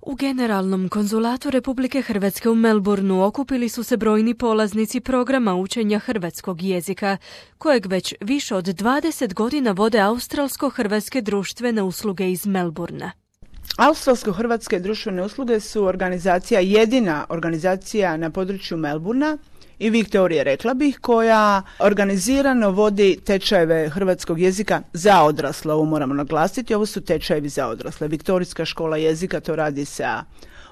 U Generalnom konzulatu Republike Hrvatske u Melbourneu okupili su se brojni polaznici programa učenja hrvatskog jezika, kojeg već više od 20 godina vode Australsko-hrvatske društvene usluge iz Melbournea. Australsko-hrvatske društvene usluge su jedina organizacija na području Melbournea i Viktorije, rekla bih, koja organizirano vodi tečajeve hrvatskog jezika za odrasle. Ovo moramo naglasiti, ovo su tečajevi za odrasle. Viktorijska škola jezika to radi sa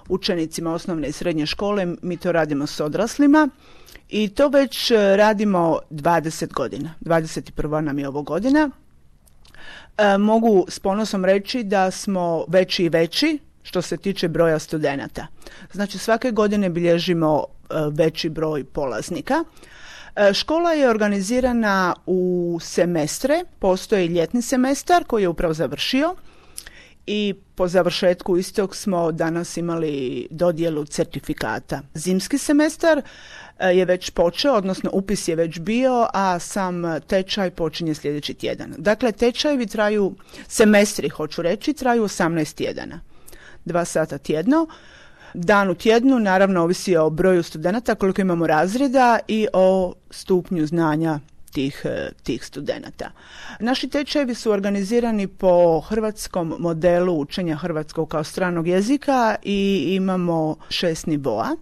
učenicima osnovne i srednje škole, mi to radimo s odraslima i to već radimo 20 godina. 21. nam je ovo godina. Mogu s ponosom reći da smo veći i veći što se tiče broja studenata. Znači svake godine bilježimo veći broj polaznika. Škola je organizirana u semestre, postoji ljetni semestar koji je upravo završio i po završetku istog smo danas imali dodjelu certifikata. Zimski semestar je već počeo, odnosno upis je već bio, a sam tečaj počinje sljedeći tjedan. Dakle, tečajevi traju, semestri hoću reći, traju 18 tjedana. 2 sata tjedno. Dan u tjednu, naravno, ovisi o broju studenata, koliko imamo razreda i o stupnju znanja tih studenata. Naši tečajevi su organizirani po hrvatskom modelu učenja hrvatskog kao stranog jezika i imamo 6 nivoa.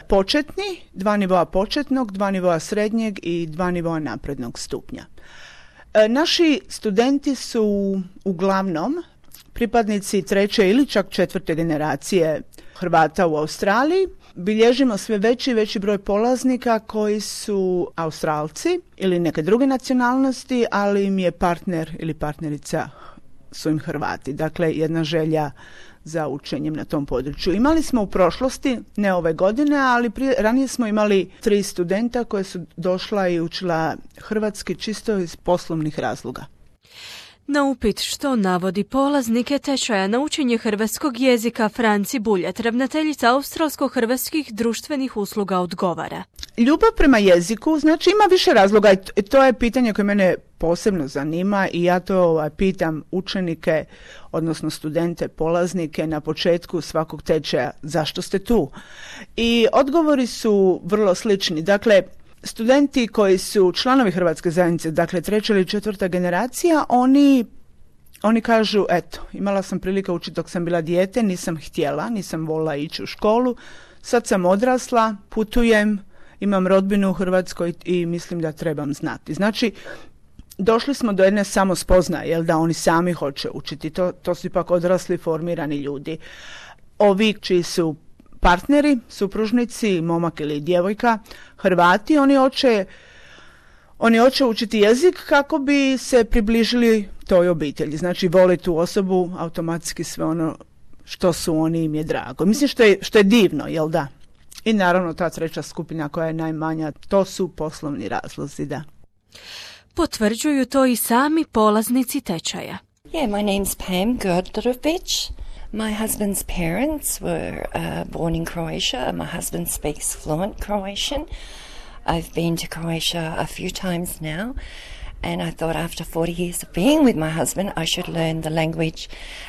Početni, 2 nivoa početnog, 2 nivoa srednjeg i 2 nivoa naprednog stupnja. Naši studenti su uglavnom pripadnici 3. ili čak 4. generacije Hrvata u Australiji. Bilježimo sve veći i veći broj polaznika koji su Australci ili neke druge nacionalnosti, ali im je partner ili partnerica su im Hrvati. Dakle, jedna želja za učenjem na tom području. Imali smo u prošlosti, ne ove godine, ali ranije smo imali 3 studenta koje su došla i učila hrvatski čisto iz poslovnih razloga. Na upit što navodi polaznike tečaja na učenje hrvatskog jezika, Franci Buljat, ravnateljica Australsko-hrvatskih društvenih usluga, odgovara. Ljubav prema jeziku, znači ima više razloga i to je pitanje koje mene posebno zanima i ja to pitam učenike, odnosno studente, polaznike na početku svakog tečaja, zašto ste tu? I odgovori su vrlo slični. Dakle, studenti koji su članovi Hrvatske zajednice, dakle 3. ili 4. generacija, oni kažu, eto, imala sam prilike učiti dok sam bila dijete, nisam htjela, nisam volila ići u školu, sad sam odrasla, putujem, imam rodbinu u Hrvatskoj i mislim da trebam znati. Znači, došli smo do jedne samospoznaje, da oni sami hoće učiti, to su ipak odrasli, formirani ljudi. Ovi čiji su partneri, supružnici, momak ili djevojka, Hrvati, oni hoće učiti jezik kako bi se približili toj obitelji. Znači, voli tu osobu, automatski sve ono što su oni, im je drago. Mislim što je divno, jel da? I naravno ta 3. skupina koja je najmanja, to su poslovni razlozi, da. Potvrđuju to i sami polaznici tečaja. Yeah, my name's Pam Gordorovic. My husband's parents were born in Croatia. My husband speaks fluent Croatian. I've been to Croatia a few times now, and I thought after 40 years of being with my husband, I should learn the language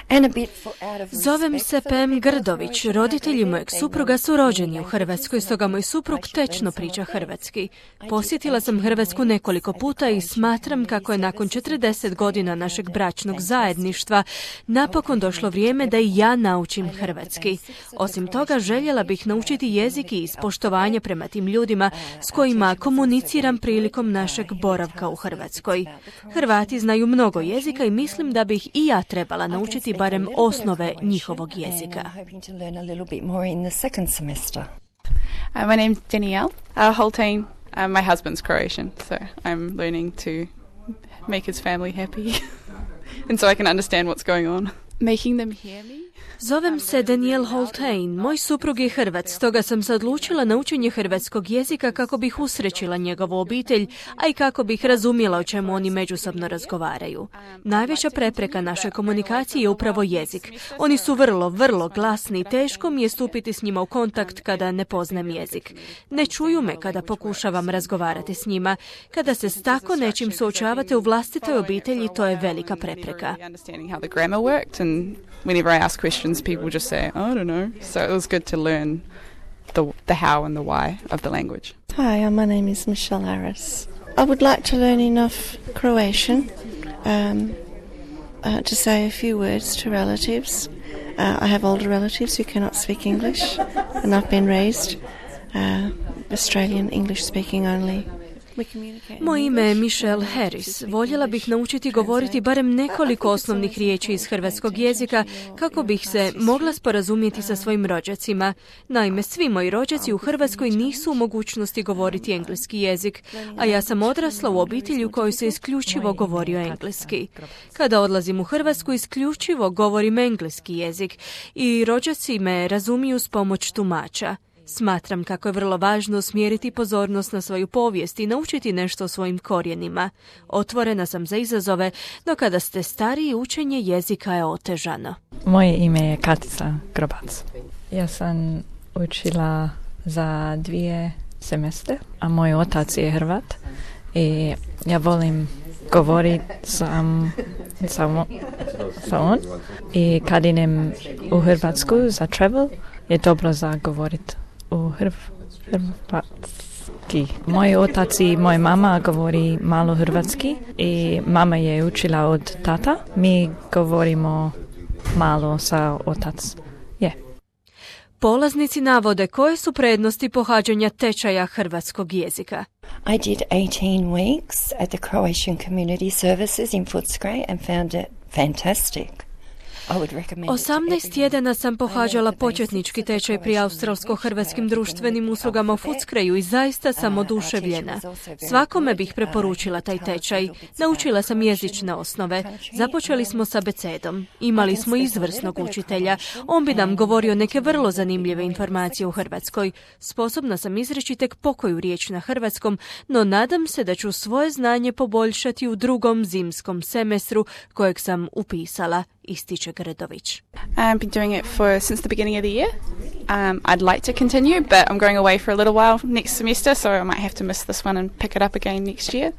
and a bit out of respect. Zovem se Pam Grdović. Roditelji mojeg supruga su rođeni u Hrvatskoj, stoga moj suprug tečno priča hrvatski. Posjetila sam Hrvatsku nekoliko puta i smatram kako je nakon 40 godina našeg bračnog zajedništva napokon došlo vrijeme da i ja naučim hrvatski. Osim toga, željela bih naučiti jezik i iz poštovanja prema tim ljudima s kojima komuniciram prilikom našeg boravka u Hrvatskoj. Hrvati znaju mnogo jezika i mislim da bih i ja trebala naučiti barem osnove njihovog jezika. My name's Danielle Holtain. My husband's Croatian, so I'm learning to make his family happy and so I can understand what's going on. Making them hear me. Zovem se Danielle Holtain. Moj suprug je Hrvat, stoga sam se odlučila na učenje hrvatskog jezika kako bih usrećila njegovu obitelj, a i kako bih razumjela o čemu oni međusobno razgovaraju. Najveća prepreka našoj komunikaciji je upravo jezik. Oni su vrlo, vrlo glasni i teško mi je stupiti s njima u kontakt kada ne poznajem jezik. Ne čuju me kada pokušavam razgovarati s njima. Kada se s tako nečim suočavate u vlastitoj obitelji, to je velika prepreka. Whenever I ask questions questions, people just say, I don't know. So it was good to learn the how and the why of the language. Hi, my name is Michelle Harris. I would like to learn enough Croatian to say a few words to relatives. I have older relatives who cannot speak English, and I've been raised Australian English speaking only. Moje ime je Michelle Harris. Voljela bih naučiti govoriti barem nekoliko osnovnih riječi iz hrvatskog jezika kako bih se mogla sporazumjeti sa svojim rođacima. Naime, svi moji rođaci u Hrvatskoj nisu u mogućnosti govoriti engleski jezik, a ja sam odrasla u obitelji u kojoj se isključivo govorio engleski. Kada odlazim u Hrvatsku, isključivo govorim engleski jezik i rođaci me razumiju s pomoć tumača. Smatram kako je vrlo važno usmjeriti pozornost na svoju povijest i naučiti nešto o svojim korijenima. Otvorena sam za izazove, no kada ste stariji, učenje jezika je otežano. Moje ime je Katica Grobac. Ja sam učila za 2 semestre, a moj otac je Hrvat i ja volim govoriti sa on. I kad idem u Hrvatsku za travel, je dobro za govoriti u hrvatski. Moj otac i moja mama govori malo hrvatski i mama je učila od tata. Mi govorimo malo sa otac. Polaznici navode koje su prednosti pohađanja tečaja hrvatskog jezika. I did 18 weeks at the Croatian Community Services in Footscray and found it fantastic. 18 tjedana sam pohađala početnički tečaj pri australsko-hrvatskim društvenim uslugama u Footscrayu i zaista sam oduševljena. Svakome bih preporučila taj tečaj. Naučila sam jezične osnove. Započeli smo s abecedom. Imali smo izvrsnog učitelja. On bi nam govorio neke vrlo zanimljive informacije u Hrvatskoj. Sposobna sam izreći tek pokoju riječ na hrvatskom, no nadam se da ću svoje znanje poboljšati u drugom zimskom semestru kojeg sam upisala, ističe Gredović. I've been doing it since the beginning of the year. I'd like to continue, but I'm going away for a little while next semester, so I might have to miss this one and pick it up again next year.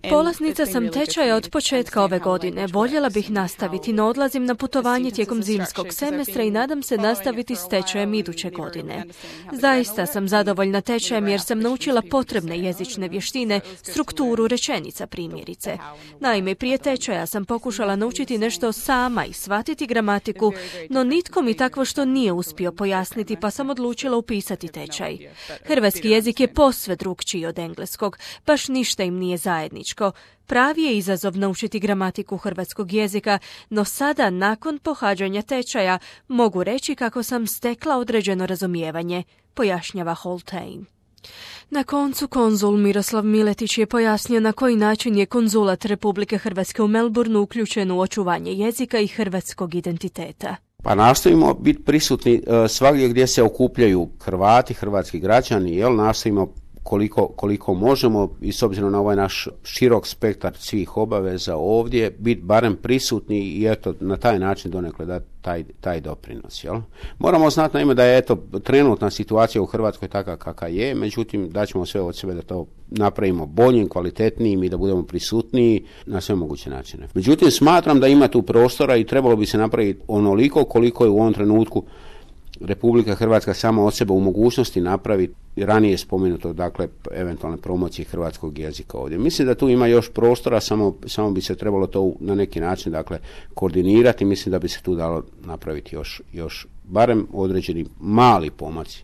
Polaznica sam tečaja od početka ove godine. Voljela bih nastaviti, no odlazim na putovanje tijekom zimskog semestra i nadam se nastaviti s tečajem iduće godine. Zaista sam zadovoljna tečajem jer sam naučila potrebne jezične vještine, strukturu rečenica primjerice. Naime, prije tečaja sam pokušala naučiti nešto sama i shvatiti gramatiku, no nitko mi takvo što nije uspio pojasniti, pa sam odlučila upisati tečaj. Hrvatski jezik je posve drukčiji od engleskog, baš ništa im nije zajedničko. Pravi je izazov naučiti gramatiku hrvatskog jezika, no sada, nakon pohađanja tečaja, mogu reći kako sam stekla određeno razumijevanje, pojašnjava Holtain. Na koncu konzul Miroslav Miletić je pojasnio na koji način je konzulat Republike Hrvatske u Melbourneu uključen u očuvanje jezika i hrvatskog identiteta. Pa nastojimo biti prisutni svagdje gdje se okupljaju Hrvati, hrvatski građani, nastojimo koliko možemo i s obzirom na ovaj naš širok spektar svih obaveza ovdje, biti barem prisutni i eto na taj način donekle dati taj doprinos. Moramo znati naime da je trenutna situacija u Hrvatskoj takva kakva je, međutim daćemo sve od sebe da to napravimo boljim, kvalitetnijim i da budemo prisutniji na sve moguće načine. Međutim, smatram da ima tu prostora i trebalo bi se napraviti onoliko koliko je u ovom trenutku Republika Hrvatska sama od sebe u mogućnosti napraviti ranije spomenuto, dakle, eventualne promocije hrvatskog jezika ovdje. Mislim da tu ima još prostora, samo bi se trebalo to na neki način, dakle, koordinirati. Mislim da bi se tu dalo napraviti još barem određeni mali pomaci.